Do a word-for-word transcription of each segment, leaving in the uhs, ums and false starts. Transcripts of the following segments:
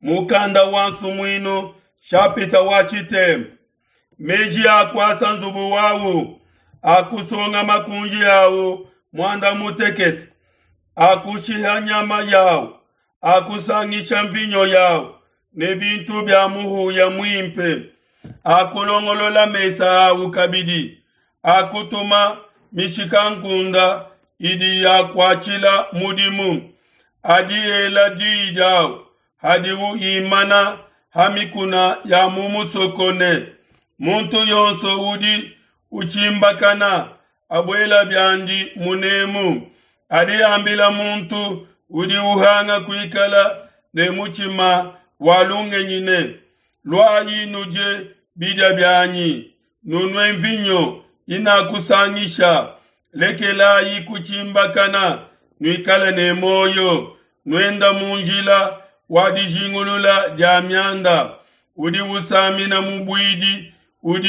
Mukanda wa Nsumuinu shapita wa tshitemba. Meji a kuasa nzubu wawu, a kusonga makunji awu muanda mutekete, a kushiha nyama yawu, a kusangisha mvinyo yawu ne bintu bia muhuya muimpe, a kulongolola mesa awu kabidi, a kutuma mishikankunda idi yakuatshila mudimu, adi ela diyi diawu hadiwu imana ha mikuna ya mu musoko ne, muntu yonso udi utshimbakana abuela biandi munemu. Adi ambila muntu udi uhanga kuikala ne mutshima wa lungenyi ne, luayi nudie bidia bianyi, nunue mvinyo inakusangisha. Lekelayi kutshimbakana, nuikale ne muoyo, nuenda mu njila wa dijingulula dia mianda. Udi usamina mubuidi udi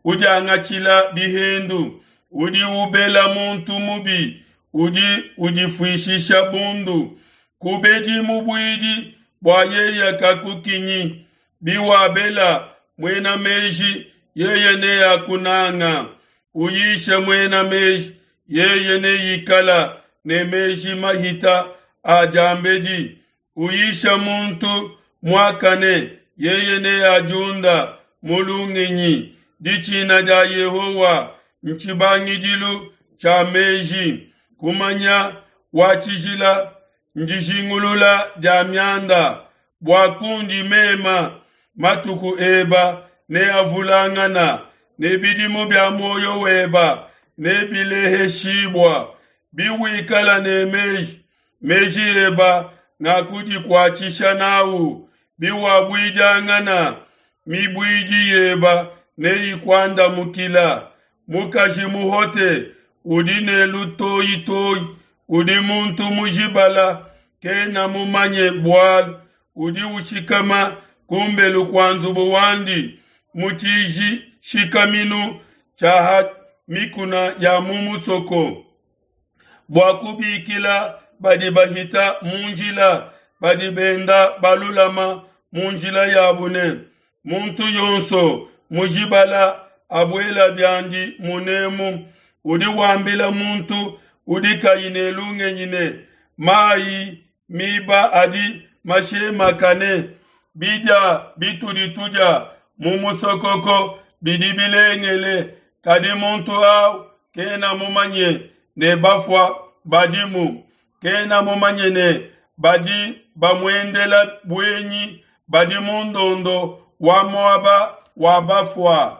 udiangatshila bihendu, udi ubela muntu mubi udi udifuishisha bundu. Kubedi mubuidi bua yeye kakukinyi, biwabela muena meji yeye neakunanga. Uyishe muena meji yeye neikala ne meji mahita a diambedi. Uyisha muntu muakane yeye neadiunda mu lungenyi. Ditshina dia Yehowa ntshibangidilu tshia meji, kumanya wa tshijila ndijingulula dia mianda. Bua kundi mema matuku eba neavulangana, ne bidimu bia muoyo weba nebileheshibua. Biwikala ne meji, meji eba nga kudikuatshisha nawu. Biwabuidiangana, mibuidi yeba neyikuandamukila. Mukaji muhote udi ne lutoyitoyi, udi muntu mujibala, kena mumanye bualu, udi ushikama kumbelu kua nzubu wandi mu tshishikaminu tshia ha mikuna ya mu musoko, bua kubikila badi bahita mu njila, badi benda balulama mu njila yabu ne, muntu yonso mujibala abuela biandi munemu. Udi wambila muntu udi kayi ne lungenyi ne, mayi miba adi mashemakane, bidia bitudi tudia mu musokoko bidi bilengele, kadi muntu au kena mumanye ne bafua badimu, kena mumanye ne badi bamuendela buenyi badi mu ndondo wa muaba wa bafua.